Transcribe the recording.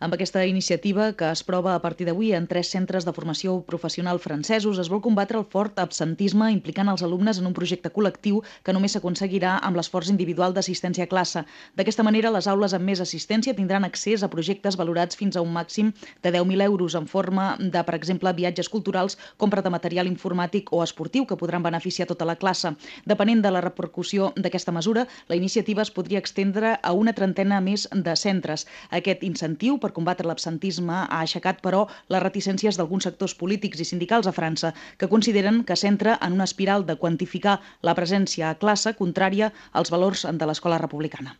Amb aquesta iniciativa, que es prova a partir d'avui en 3 centres de formació professional francesos, es vol combatre el fort absentisme implicant els alumnes en un projecte col·lectiu que només s'aconseguirà amb l'esforç individual d'assistència a classe. D'aquesta manera, les aules amb més assistència tindran accés a projectes valorats fins a un màxim de 10.000 euros en forma de, per exemple, viatges culturals, compra de material informàtic o esportiu que podran beneficiar tota la classe. Depenent de la repercussió d'aquesta mesura, la iniciativa es podria extendre a una trentena més de centres. Aquest incentiu per combatre l'absentisme ha aixecat, però, les reticències d'alguns sectors polítics i sindicals a França, que consideren que s'entra en una espiral de quantificar la presència a classe contrària als valors de l'escola republicana.